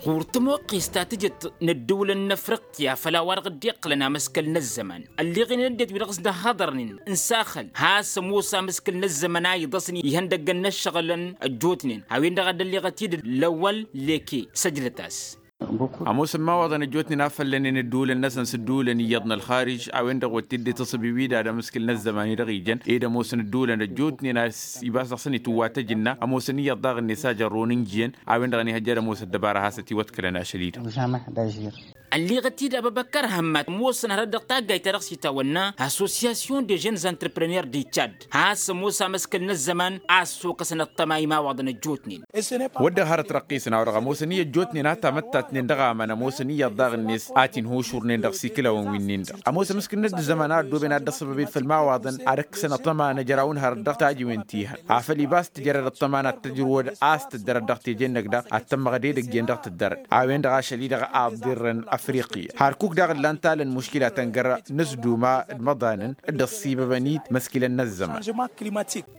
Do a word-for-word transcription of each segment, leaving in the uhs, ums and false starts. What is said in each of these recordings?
Ɣur-tămoqqest ta tǝjăt n-ăddăwlăn n-afriqya făll-a-wa-dăɣ dd-iqqǝlăn amăskăl n-ăzzăman, ălleɣen d-ăddinăt wi-dăɣ s-dd-ăhhăḍărnen n-saxăl has-ămoos amăskăl n-ăzzăman a iḍăsnen ihăndăggăn n-ăššăɣǝlăn ăjjootnen a-wen-dăɣ a dd-ălleɣăt-dd lăwwăl leke. Săjdăt-as. Ămoosăn imawaḍăn ăjjootnen a făllănen ăddăwlăn-năsăn s-ăddăwlăn iyyăḍ n-ălxarij a-wen-dăɣ wăr t-dd-itǝṣǝb iwidad amǝskǝl n-ăzzăman-i-dăɣ ijăn ed ămoosăn ăddăwlăn ăjjootnen a-s ibas dăɣ-săn itǝwwa tăjǝnna ămoosăn iyyăḍ daɣ-net a jărrun n-ijăn a-wen-dăɣ ănihăjja d-ămoos ăddăbara has-ătiwăḍkălăn ašăl-i-dăɣ. Ălleɣăt-dd abăbăkkăr hămmat ămoosăn hărăt dăɣ-taggayt-ta-dăɣ s-itawănna association de jeunes entrepreneurs de tchad has-ămoos amăskăl n-ăzzăman a ăssokăsăn ăṭṭăma imawaḍăn ăjjootnen. Wăr dăɣ-hărăt răqqisăn a-wa-dăɣ ămoosăn-i ăjjootnen a tamăttatnen dăɣ-amăn ămoosăn iyyăḍ daɣ-net a t-inhušurnen dăɣ-siklawăn-winnin-dăɣ ămoos amǝskǝl n-ăddăzzăman a ăddooben ad-dd-ăṣṣăbăbed făll-imawaḍăn ad-ǝkkǝsăn ăṭṭăma n-ăjraw n-hărăt dăɣ-tajiwen ti-hăn afăl ibas tǝjrăd ăṭṭăma n-ad-tăjrǝwăd a-s tǝddărăd dăɣ-teje-năk daɣ ad-tămmăɣăd edăgg-en dăɣ-tǝddărăd a-wen-dăɣ ašăl-i-dăɣ a ăḍḍirrăn afriqya hărkuk daɣ ǝllan talăn muškilatăn găra n-ăsduma d-imăḍanăn dd-ăṣṣibăbăn-dd măskilăn n-ăzzăman.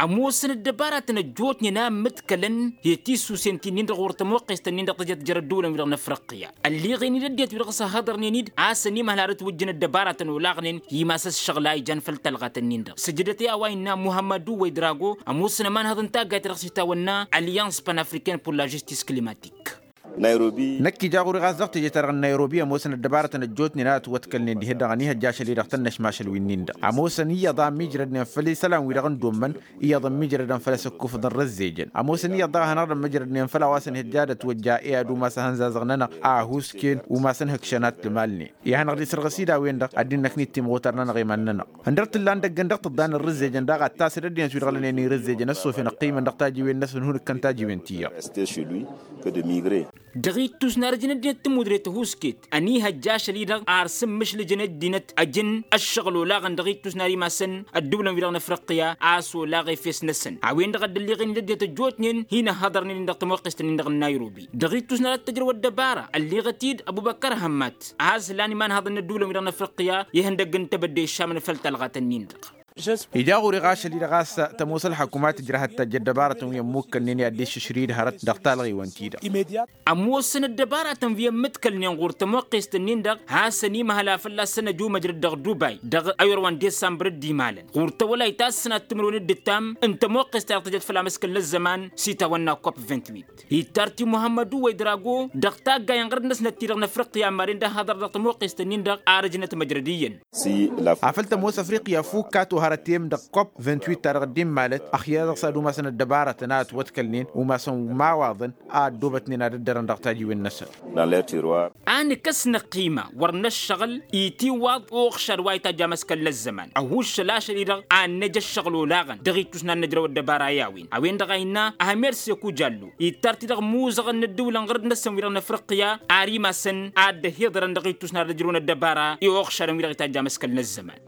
Ămoosăn ăddăbaratăn ăjjootnen a ǝmmǝdkălăn i-tisusen ti-nin-dăɣ ɣur-tămoqqest-nin-dăɣ tǝjăt jer-ăddăwlăn-wi-dăɣ n-afriqya ălleɣen-dd ăddinăt-wi-dăɣ s-ăhhăḍărnen-dd a-s ănimăhăl har ǝtwǝjjǝn ăddăbaratăn olaɣnen i-imas ăššăɣǝl a ijan făll-talɣat-nin-dăɣ sǝjdăt i-a-wa innă muhămmădu wăydrago ămoosăn ămanhăḍ n-taggayt-ta-dăɣ s-itawănna alliance panafricaine pour la justice climatique. Năkk ija ɣur-i ɣas dăɣ-teje-ta-dăɣ n-nayrobi ămoosăn ăddăbaratăn ăjjootnen a ătwătkălnen dihen-dăɣ ănihăjja ašăl-i-dăɣ tănnăšmašăl-winnin-dăɣ ămoosăn iyyăḍ a ămmiijrădnen făll-isălan-wi-dăɣ n-dd-ommăn iyyăḍ ămmiijrădăn făll-asǝkkufăḍ n-rǝzzejăn ămoosăn iyyăḍ daɣ a hanăɣ-dd-ămmijrădnen făll-a-wa s-ănihăjja ad-ătwăjja i-ad-umas ahănzazăɣ-nănăɣ a ăhuusken umasăn hǝkšăn ad-t-ǝmalnen. I-ad-hanăɣ-dd-isărɣǝs-dd a-wen-dăɣ ăddinăt năknit timɣutar-nănăɣ i-iman-nănăɣ. Ǝndăr t-ǝllan dăgg-ǝndăɣ tǝḍḍa n-ărrǝzzejăn daɣ ad-tasăd ăddinăt wi-dăɣ lănen irǝzzejăn ăṣṣofen ăqqimăn dăɣ-tajiwen-năsăn hun-ǝkkăn tajiwen ti-iyyăḍ. Dăɣ-ittus n-arǝjǝn ăddinăt tǝmmudre tăhusket ănihăjja ašăl-i-dăɣ ar sǝmmǝšlǝjăn ăddinăt ăjǝn ăššăɣǝl olaɣăn dăɣ-ittus n-ar imasăn ăddǝwlăn-wi-dăɣ n-afriqya a-s olaɣ efes-năsăn a-wen-dăɣ a dd-ălleɣen-dd ăddinăt ăjjootnen hin-ăhhăḍărnen-in dăɣ-tămoqqest-nin-dăɣ n-nayrobi. Dăɣ-ittus n-arăt tăjrăw ăddăbara ălleɣăt-dd ăbubăkkăr hămmat a has-ǝlan imanhăḍăn n-ăddǝwlăn-wi-dăɣ n-afriqya ihăndăgg n-tebădde iššamăn făll-talɣat-nin-dăɣ. Ija ɣur-i ɣas ašăl-i-dăɣ a-s tămoos ălḥăkumat tǝjrăhăt tajj ăddăbarătăn wi ămmukkănnen i-ad-dd-iššǝšrǝy d-hărăt dăɣ-talɣiwăn-ti-dăɣ. Ămoosăn ăddăbaratăn wi ămmǝdkălnen ɣur-tămoqqest-ǝnnin-dăɣ hasăn-imhăl a fălla-săn ăjumăjrăd dăɣ-dubay dăɣ-ayǝrwa n-disambăr dd-imalăn ɣur-tawălayt ta s-sănat timǝrwen d-ǝttam n-tămoqqest ta dăɣ-tǝjăt făll-amǝskǝl n-ăzzăman s-itawănna kop vingt-huit. Ittar-t i-muhămmădu wăy drago dăɣ-taggayen ɣărăt-năsnăt-ti-dăɣ n-afriqya ămmaren d-ăhhăḍăr dăɣ-tămoqqest-ǝnnin-dăɣ ar ǝjnăt măjrăd iyyăn. Afăl tămoos afriqya fukk a tohărăt i-im dăɣ-kop vingt-huit ta dăɣ-dd-immalăt ăxya dăɣ-s ad-umasăn ăddăbarătăn a ătwătkălnen umasăn imawaḍăn a ăddoobătnen ad-ăddărăn dăɣ-tajiwen-năsăn. A nǝkăs năqqima wăr năššăɣǝl itiwaḍ uɣšad wa itajj amăskăl n-ăzzăman ăhuššăl ašăl-i-dăɣ ad-năj ăššăɣǝl olaɣăn dăɣ-ittus n-ad-năjrăw ăddăbara i-a-wen a-wen-dăɣ a innă ahmed seku jallo ittar-t-dăɣ imuzăɣăn n-ăddǝwlăn ɣărăt-năsăn wi-dăɣ n-afriqya ar imasăn ad-dd-ăhiḍărăn dăɣ-ittus n-ad-ăjrăwăn ăddăbara i-uɣšadăn wi-dăɣ itajj amăskăl n-ăzzăman.